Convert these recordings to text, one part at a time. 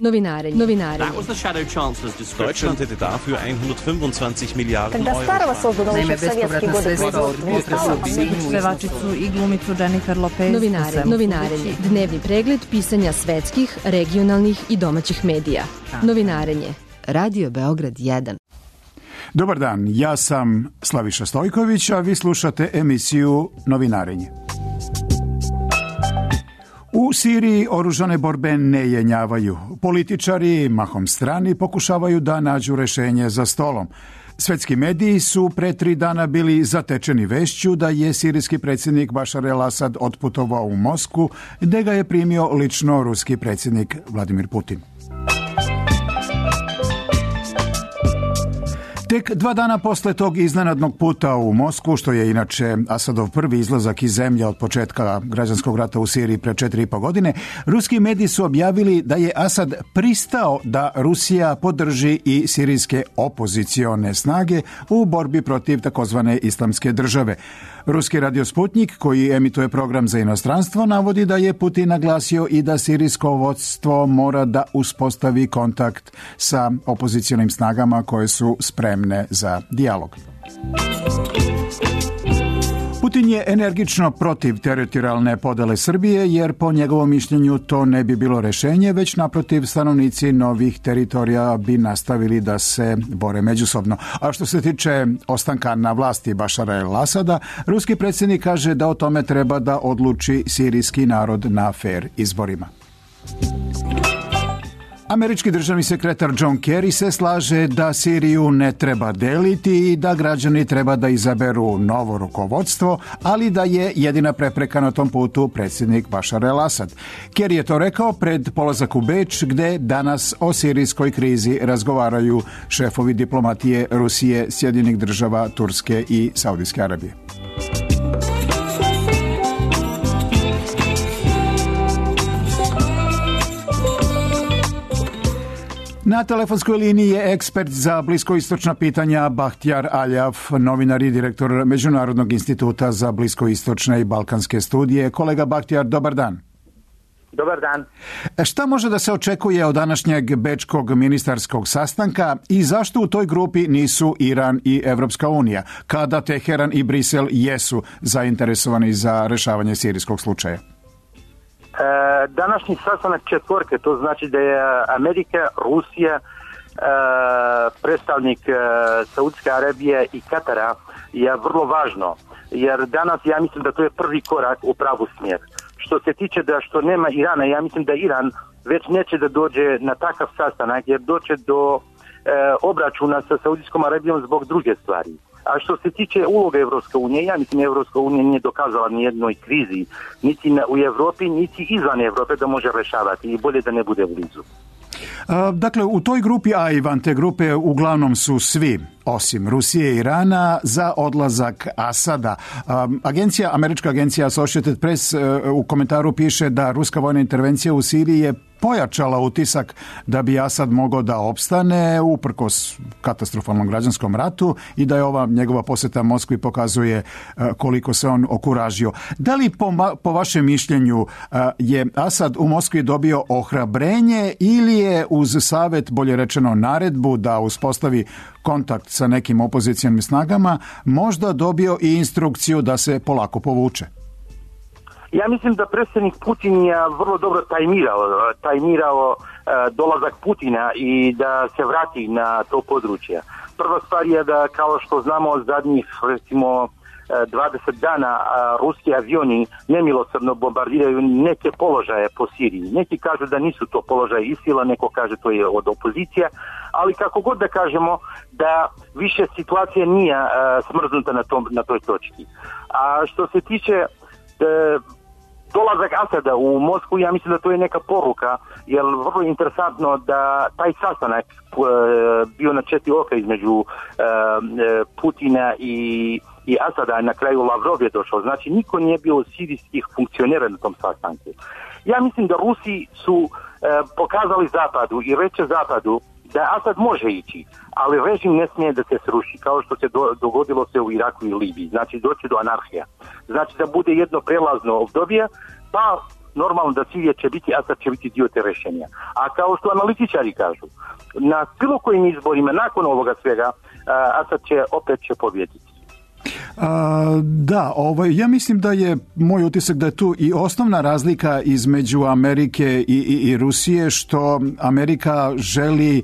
Novinarenje. That was the Shadow Chancellor's description. Deutschland hätte dafür 125 Miliarden Когда Euro. Starova создана еще в советские годы Pevačicu i glumicu Jennifer Lopez. Novinarenje. Dnevni pregled pisanja svetskih, regionalnih i domaćih medija. Novinarenje. Radio Beograd 1. Dobar dan, ja sam Slaviša Stojković, a vi slušate emisiju Novinarenje. U Siriji oružane borbe ne jenjavaju. Političari, mahom strani, pokušavaju da nađu rešenje za stolom. Svetski mediji su pre 3 dana bili zatečeni vešću da je sirijski predsjednik Bašar el-Asad otputovao u Moskvu, gde ga je primio lično ruski predsjednik Vladimir Putin. Tek 2 dana posle tog iznenadnog puta u Moskvu, što je inače Asadov prvi izlazak iz zemlje od početka građanskog rata u Siriji pre 4,5 godine, ruski mediji su objavili da je Asad pristao da Rusija podrži i sirijske opozicione snage u borbi protiv takozvane islamske države. Ruski radio Sputnik, koji emituje program za inostranstvo, navodi da je Putin naglasio i da sirijsko vodstvo mora da uspostavi kontakt sa opozicionim snagama koje su spremne za dijalog. Putin je energično protiv teritorijalne podele Srbije, jer po njegovom mišljenju to ne bi bilo rešenje, već naprotiv stanovnici novih teritorija bi nastavili da se bore međusobno. A što se tiče ostanka na vlasti Bašara el-Asada, ruski predsjednik kaže da o tome treba da odluči sirijski narod na fer izborima. Američki državni sekretar John Kerry se slaže da Siriju ne treba deliti i da građani treba da izaberu novo rukovodstvo, ali da je jedina prepreka na tom putu predsjednik Bašar el-Asad. Kerry je to rekao pred polazak u Beč, gde danas o sirijskoj krizi razgovaraju šefovi diplomatije Rusije, Sjedinjenih Država, Turske i Saudijske Arabije. Na telefonskoj liniji je ekspert za bliskoistočna pitanja Bahtijar Aljaf, novinar i direktor Međunarodnog instituta za bliskoistočne i balkanske studije. Kolega Bahtijar, dobar dan. Dobar dan. Šta može da se očekuje od današnjeg bečkog ministarskog sastanka i zašto u toj grupi nisu Iran i Evropska unija, kada Teheran i Brisel jesu zainteresovani za rešavanje sirijskog slučaja? Današnji sastanak četvorke, to znači da je Amerika, Rusija, predstavnik Saudijske Arabije i Katara je vrlo važno, jer danas ja mislim da to je prvi korak u pravu smjer. Što se tiče da što nema Irana, ja mislim da Iran već neće da dođe na takav sastanak, jer doće do obračuna sa Saudijskom Arabijom zbog druge stvari. A što se tiče uloga Evropske unije, ja mislim da Evropska unija nije dokazala ni jednoj krizi, niti u Evropi, niti izvan Evrope da može rešavati i bolje da ne bude blizu. Dakle, u toj grupi, a i van te grupe, uglavnom su svi, osim Rusije i Irana, za odlazak Asada. Američka agencija Associated Press u komentaru piše da ruska vojna intervencija u Siriji je pojačala utisak da bi Asad mogao da opstane uprkos katastrofalnom građanskom ratu i da je ova njegova poseta Moskvi pokazuje koliko se on okuražio. Da li po vašem mišljenju je Asad u Moskvi dobio ohrabrenje ili je uz savjet, bolje rečeno naredbu, da uspostavi kontakt sa nekim opozicijalnim snagama, možda dobio i instrukciju da se polako povuče? Ja mislim da predsjednik Putin je vrlo dobro tajmirao dolazak Putina i da se vrati na to područje. Prva stvar je da, kao što znamo, zadnjih recimo 20 dana ruski avioni nemilosrdno bombardiraju neke položaje po Siriji. Neki kažu da nisu to položaje ISIL-a, neko kaže to je od opozicije, ali kako god da kažemo da više situacija nije smrznuta na toj točki. A što se tiče dolazak Asada u Moskvu, ja mislim da to je neka poruka, jer vrlo interesantno da taj sastanak bio na 4 oka između Putina i Asada, na kraju Lavrov je došao. Znači, niko nije bio od sirijskih funkcionera na tom sastanku. Ja mislim da Rusi su pokazali Zapadu i reče Zapadu da Asad može ići, ali režim ne smije da se sruši, kao što se dogodilo se u Iraku i Libiji. Znači, doći do anarhija. Znači, da bude jedno prelazno obdobje, pa normalno da Sirija će biti, Asad će biti dio te rješenja. A kao što analitičari kažu, na bilo kojim izborima nakon ovoga svega, Asad će opet pobijediti. Da, ja mislim da je moj utisak da je tu i osnovna razlika između Amerike i Rusije, što Amerika želi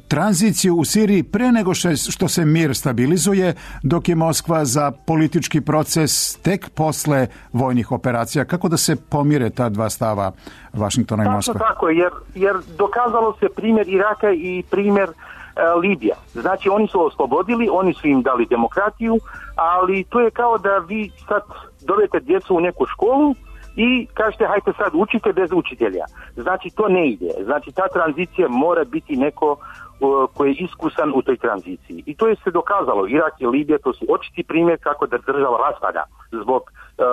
tranziciju u Siriji pre nego što se mir stabilizuje, dok je Moskva za politički proces tek posle vojnih operacija. Kako da se pomire ta dva stava Vašingtona i Moskve? Tako, jer dokazalo se primjer Iraka i primjer Libija. Znači oni su oslobodili, oni su im dali demokratiju, ali to je kao da vi sad dovedete djecu u neku školu i kažete hajte sad učite bez učitelja. Znači to ne ide. Znači ta tranzicija mora biti neko koji je iskusan u toj tranziciji. I to je se dokazalo. Irak i Libija, to su očiti primjer kako da država raspada zbog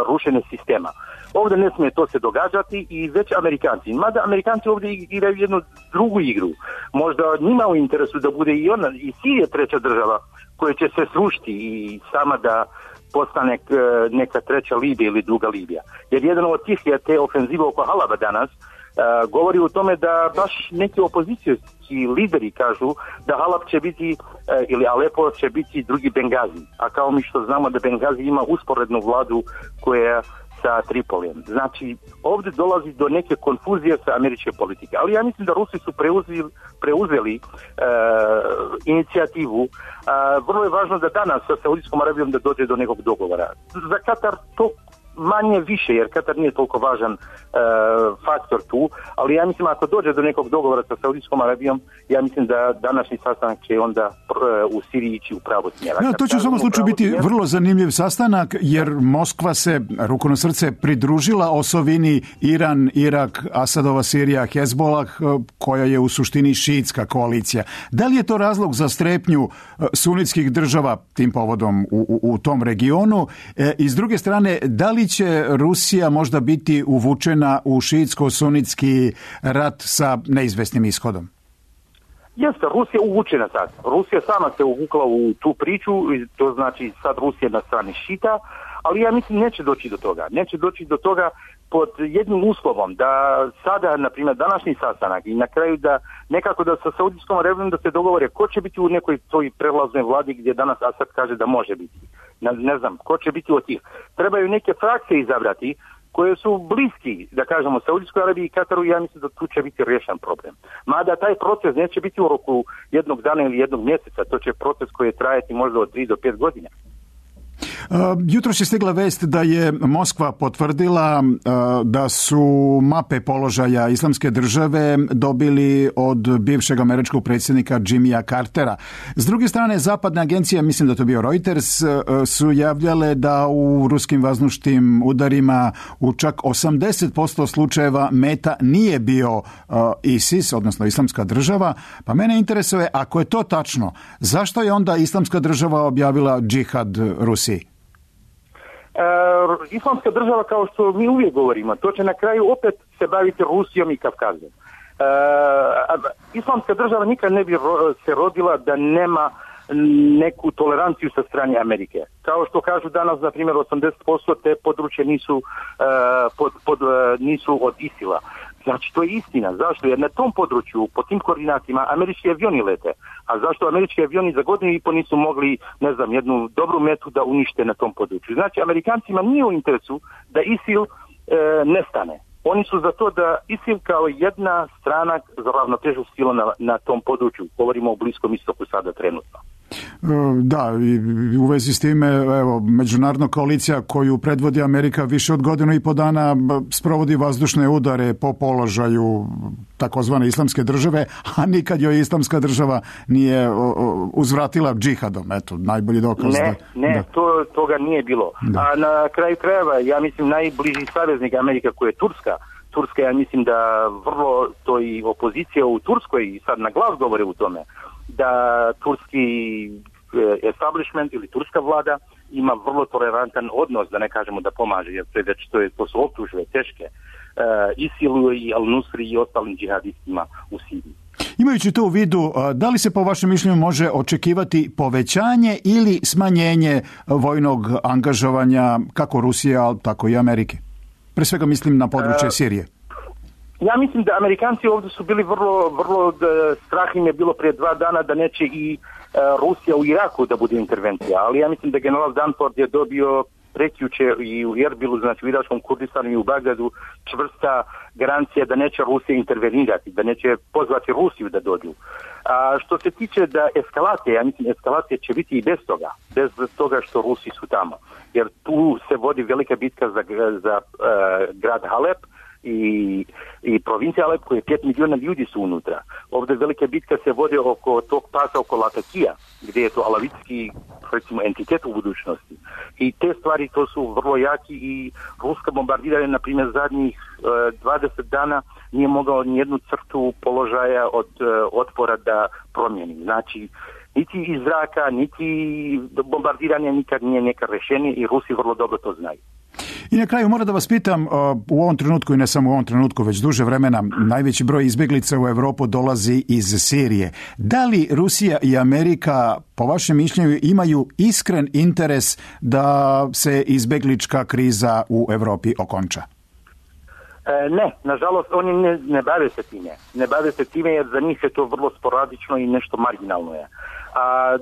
rušenja sistema. Ovdje ne smije to se događati i već Amerikanci. Mada Amerikanci ovdje igraju jednu drugu igru. Možda njima u interesu da bude i Sirija treća država koja će se srušiti i sama da postane neka treća Libija ili druga Libija. Jer jedan od tih je te ofenzive oko Halaba danas govori o tome da baš neki opozicijski lideri kažu da Halab će biti ili Alepo će biti drugi Bengazi. A kao mi što znamo da Bengazi ima usporednu vladu koja sa Tripolijem. Znači, ovdje dolazi do neke konfuzije sa američke politike. Ali ja mislim da Rusi su preuzeli inicijativu. Vrlo je važno da danas sa Saudijskom Arabijom da dođe do nekog dogovora. Za Katar to manje više, jer Katar nije toliko važan faktor tu, ali ja mislim ako dođe do nekog dogovora sa Saudijskom Arabijom, ja mislim da današnji sastanak će onda u Siriji ići u pravo smjera. Ja, to će u svakom slučaju biti vrlo zanimljiv sastanak, jer Moskva se ruku na srce pridružila osovini Iran, Irak, Asadova Sirija, Hezbolah, koja je u suštini šiitska koalicija. Da li je to razlog za strepnju sunitskih država tim povodom u tom regionu? I s druge strane, da li će Rusija možda biti uvučena u šiitsko-sunitski rat sa neizvesnim ishodom? Jeste, Rusija uvučena sad. Rusija sama se uvukla u tu priču, to znači sad Rusija na strani šita, ali ja mislim neće doći do toga. Neće doći do toga pod jednim uslovom da sada, na primjer, današnji sastanak i na kraju da nekako da sa Saudijskom Arabijom da se dogovore ko će biti u nekoj toj prelaznoj vladi gdje danas Asad kaže da može biti. Ne znam, ko će biti od tih. Trebaju neke frakcije izabrati koje su bliski, da kažemo, Saudijskoj Arabiji i Kataru, ja mislim da tu će biti riješen problem. Mada taj proces neće biti u roku jednog dana ili jednog mjeseca, to će proces koji je trajati možda od 3 do 5 godina. Jutros je stigla vest da je Moskva potvrdila da su mape položaja Islamske države dobili od bivšeg američkog predsjednika Jimmya Cartera. S druge strane, zapadne agencije, mislim da to bio Reuters, su javljale da u ruskim vazdušnim udarima u čak 80% slučajeva meta nije bio ISIS, odnosno Islamska država. Pa mene interesuje, ako je to tačno, zašto je onda Islamska država objavila džihad Rusiji? Islamska država, kao što mi uvijek govorimo, to će na kraju opet se baviti Rusijom i Kavkazom. Islamska država nikad ne bi se rodila da nema neku toleranciju sa strane Amerike. Kao što kažu danas, na primjer, 80% te područje nisu od ISIL-a. Znači, to je istina. Zašto? Jer na tom području, po tim koordinatima, američki avioni lete. A zašto američki avioni za godinu i po nisu mogli, ne znam, jednu dobru metu da unište na tom području? Znači, Amerikancima nije u interesu da ISIL nestane. Oni su za to da ISIL kao jedna strana za ravnotežu sila na tom području. Govorimo o Bliskom istoku sada trenutno. Da, i u vezi s time, evo, međunarodna koalicija koju predvodi Amerika više od godinu i po dana sprovodi vazdušne udare po položaju takozvane Islamske države, a nikad joj Islamska država nije uzvratila džihadom. Eto, najbolji dokaz. Ne, toga nije bilo. Da. A na kraju krajeva, ja mislim, najbliži saveznik Amerika koja je Turska. Turska, ja mislim da vrlo to i opozicija u Turskoj i sad na glas govore u tome da turski establishment ili turska vlada ima vrlo tolerantan odnos, da ne kažemo da pomaže, jer to su optužbe teške ISIL-u i Al-Nusri i ostalim džihadistima u Siriji. Imajući to u vidu, da li se po vašem mišljenju može očekivati povećanje ili smanjenje vojnog angažovanja kako Rusije, tako i Amerike? Pre svega mislim na područje Sirije. Ja mislim da Amerikanci ovdje su bili vrlo strah im je bilo prije 2 dana da neće i Rusija u Iraku da bude intervencija, ali ja mislim da general Danford je dobio prekjuče i u Erbilu, znači u Iračkom Kurdistanu i u Bagdadu, čvrsta garancija da neće Rusija intervenirati, da neće pozvati Rusiju da dođu. A što se tiče da eskalacije, ja mislim eskalacije će biti i bez toga što Rusi su tamo, jer tu se vodi velika bitka za grad Halep i provincija Alep koje 5 milijuna ljudi su unutra. Ovdje velika bitka se vodi oko tog pasa oko Latakija, gdje je to alavitski recimo entitet u budućnosti. I te stvari to su vrlo jaki i ruska bombardiranje, na primjer, zadnjih 20 dana nije mogao nijednu crtu položaja od otpora da promijeni. Znači, niti iz zraka, niti bombardiranje nikad nije neka rješenje i Rusi vrlo dobro to znaju. I na kraju moram da vas pitam, u ovom trenutku i ne samo u ovom trenutku, već duže vremena, najveći broj izbjeglica u Europu dolazi iz Sirije. Da li Rusija i Amerika, po vašem mišljenju, imaju iskren interes da se izbjeglička kriza u Europi okonča? Ne, nažalost oni ne bave se time. Ne bave se time jer za njih je to vrlo sporadično i nešto marginalno je. A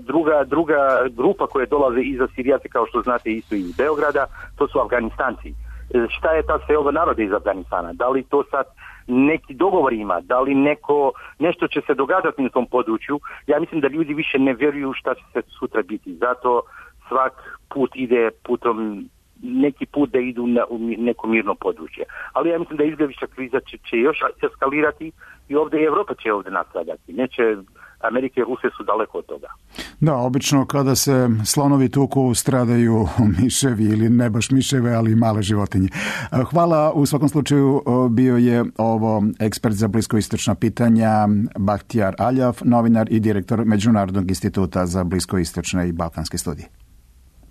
druga grupa koja dolaze iza Sirijaca, kao što znate isto iz Beograda, to su Afganistanci. Šta je ta seoba naroda iz Afganistana? Da li to sad neki dogovor ima? Da li nešto će se događati na tom području? Ja mislim da ljudi više ne vjeruju šta će se sutra biti. Zato svak put ide putom neki put da idu u neko mirno područje. Ali ja mislim da izbjeglička kriza će još eskalirati i ovdje i Evropa će ovdje nastradati. Neće, Amerika i Rusija su daleko od toga. Da, obično kada se slonovi tuku stradaju miševi ili ne baš miševe, ali male životinje. Hvala, u svakom slučaju bio je ovo ekspert za bliskoistočna pitanja Bahtijar Aljav, novinar i direktor Međunarodnog instituta za bliskoistočne i balkanske studije.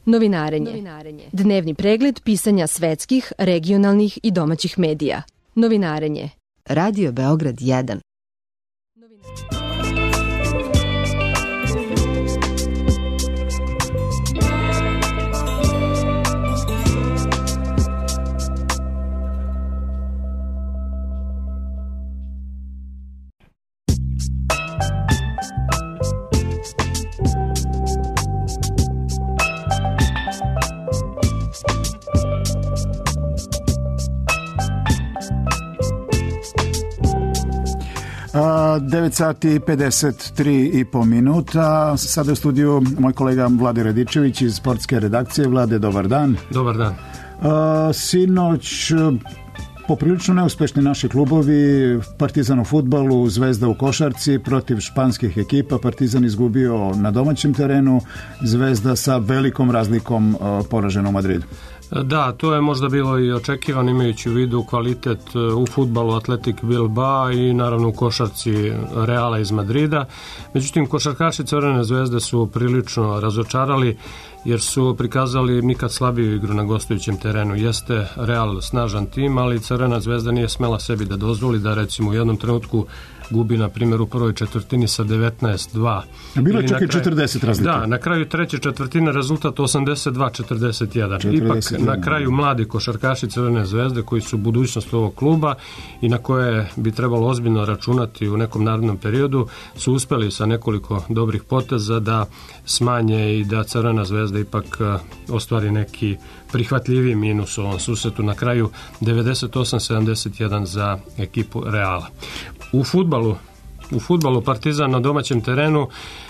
Novinarenje. Dnevni pregled pisanja svetskih, regionalnih i domaćih medija. Novinarenje. Radio Beograd 1. A, 9:53 minuta. Sada je u studiju moj kolega Vlade Radičević iz sportske redakcije. Vlade, dobar dan. Dobar dan. Sinoć poprilično neuspešni naši klubovi, Partizan u fudbalu, Zvezda u košarci protiv španskih ekipa. Partizan izgubio na domaćem terenu, Zvezda sa velikom razlikom poražena u Madridu. Da, to je možda bilo i očekivano imajući u vidu kvalitet u fudbalu Atletik Bilbao i naravno u košarci Reala iz Madrida. Međutim, košarkaši Crvene Zvezde su prilično razočarali jer su prikazali nikad slabiju igru na gostujućem terenu. Jeste Real snažan tim, ali Crvena Zvezda nije smela sebi da dozvoli da recimo u jednom trenutku gubi, na primjer, u prvoj četvrtini sa 19-2. Bilo je čak i 40 razlike. Da, na kraju treće četvrtine rezultat 82-41. Ipak na kraju mladi košarkaši Crvene Zvezde koji su budućnost ovog kluba i na koje bi trebalo ozbiljno računati u nekom narednom periodu su uspeli sa nekoliko dobrih poteza da smanje i da Crvena Zvezda ipak ostvari neki prihvatljiviji minus u ovom susretu. Na kraju 98-71 za ekipu Reala. U fudbalu Partizan na domaćem terenu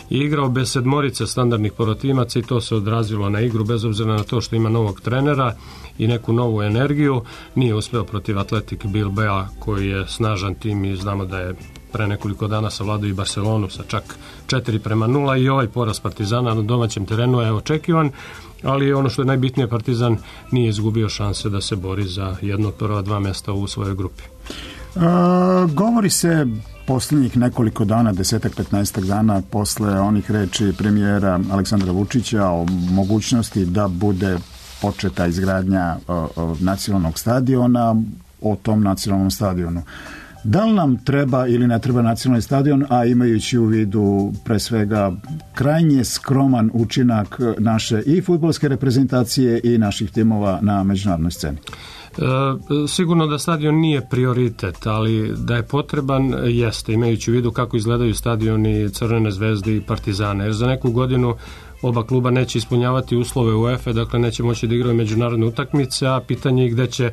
je igrao bez sedmorice standardnih protimaca i to se odrazilo na igru bez obzira na to što ima novog trenera i neku novu energiju. Nije uspeo protiv Atletik Bilbao koji je snažan tim i znamo da je pre nekoliko dana savladao i Barcelonu sa čak 4-0 i ovaj poraz Partizana na domaćem terenu je očekivan, ali ono što je najbitnije, Partizan nije izgubio šanse da se bori za jedno od prva 2 mjesta u svojoj grupi. Govori se posljednjih nekoliko dana, 10-15 dana posle onih reči premijera Aleksandra Vučića o mogućnosti da bude početa izgradnja nacionalnog stadiona, o tom nacionalnom stadionu. Da li nam treba ili ne treba nacionalni stadion, a imajući u vidu pre svega krajnje skroman učinak naše i fudbalske reprezentacije i naših timova na međunarodnoj sceni? Sigurno da stadion nije prioritet, ali da je potreban jeste, imajući u vidu kako izgledaju stadioni Crvene zvezde i Partizana. Jer za neku godinu oba kluba neće ispunjavati uslove UEFA, dakle neće moći da igraju međunarodne utakmice, a pitanje je gde će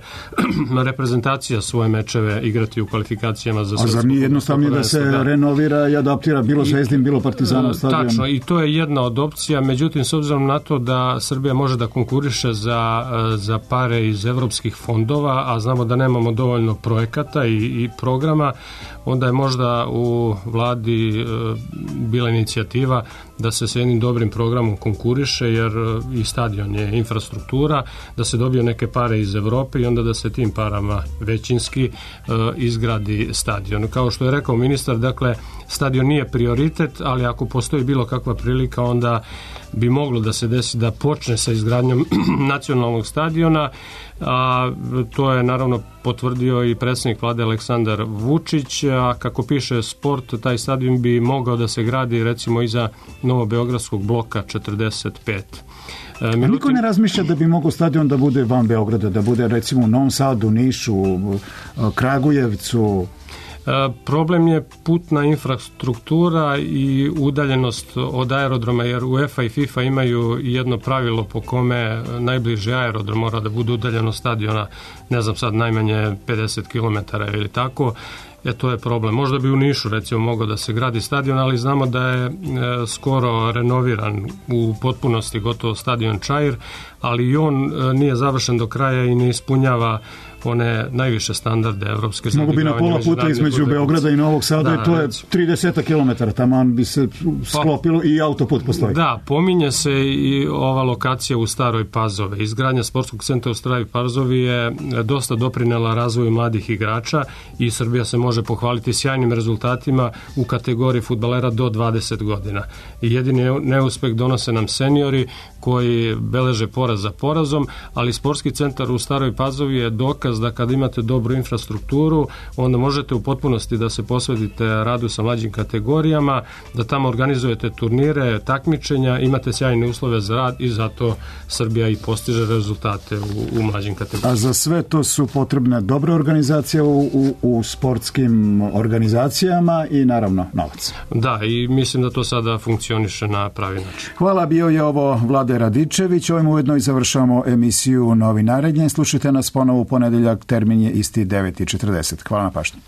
reprezentacija svoje mečeve igrati u kvalifikacijama za svetsku. A zar nije jednostavnije da se renovira i adaptira bilo Zvezdin, bilo Partizanov stadion? Tačno, i to je jedna od opcija, međutim s obzirom na to da Srbija može da konkuriše za pare iz evropskih fondova, a znamo da nemamo dovoljno projekata i programa, onda je možda u vladi bila inicijativa da se s jednim dobrim programom konkuriše, jer i stadion je infrastruktura, da se dobiju neke pare iz Evrope i onda da se tim parama većinski izgradi stadion. Kao što je rekao ministar, dakle, stadion nije prioritet, ali ako postoji bilo kakva prilika, onda bi moglo da se desi da počne sa izgradnjom nacionalnog stadiona, a to je naravno potvrdio i predsjednik vlade Aleksandar Vučić, a kako piše Sport, taj stadion bi mogao da se gradi recimo iza Novobeogradskog bloka 45. A niko ne razmišlja da bi mogao stadion da bude van Beograda, da bude recimo u Novom Sadu, Nišu, Kragujevcu? Problem je putna infrastruktura i udaljenost od aerodroma, jer UEFA i FIFA imaju jedno pravilo po kome najbliži aerodrom mora da bude udaljen od stadiona, ne znam sad, najmanje 50 km ili tako. To je problem. Možda bi u Nišu recimo mogao da se gradi stadion, ali znamo da je skoro renoviran u potpunosti gotovo stadion Čair, ali i on nije završen do kraja i ne ispunjava one najviše standarde evropske. Mogu bi na pola puta između Beograda i Novog Sada, i to je 30 km, taman bi se sklopilo i autoput postoji. Da, pominje se i ova lokacija u Staroj Pazovi. Izgradnja sportskog centra u Staroj Pazovi je dosta doprinela razvoju mladih igrača i Srbija se može pohvaliti sjajnim rezultatima u kategoriji fudbalera do 20 godina. I jedini neuspeh donose nam seniori koji beleže poraz za porazom, ali sportski centar u Staroj Pazovi je dokaz da kad imate dobru infrastrukturu, onda možete u potpunosti da se posvetite radu sa mlađim kategorijama, da tamo organizujete turnire, takmičenja, imate sjajne uslove za rad i zato Srbija i postiže rezultate u mlađim kategorijama. A za sve to su potrebne dobre organizacije u sportskim organizacijama i naravno novac. Da, i mislim da to sada funkcioniše na pravi način. Hvala, bio je ovo Vlade Radičević. Ovim ujedno i završavamo emisiju Novinarenje. Slušajte nas ponovo u ponedeljak, termin je isti 9:40. Hvala na pažnji.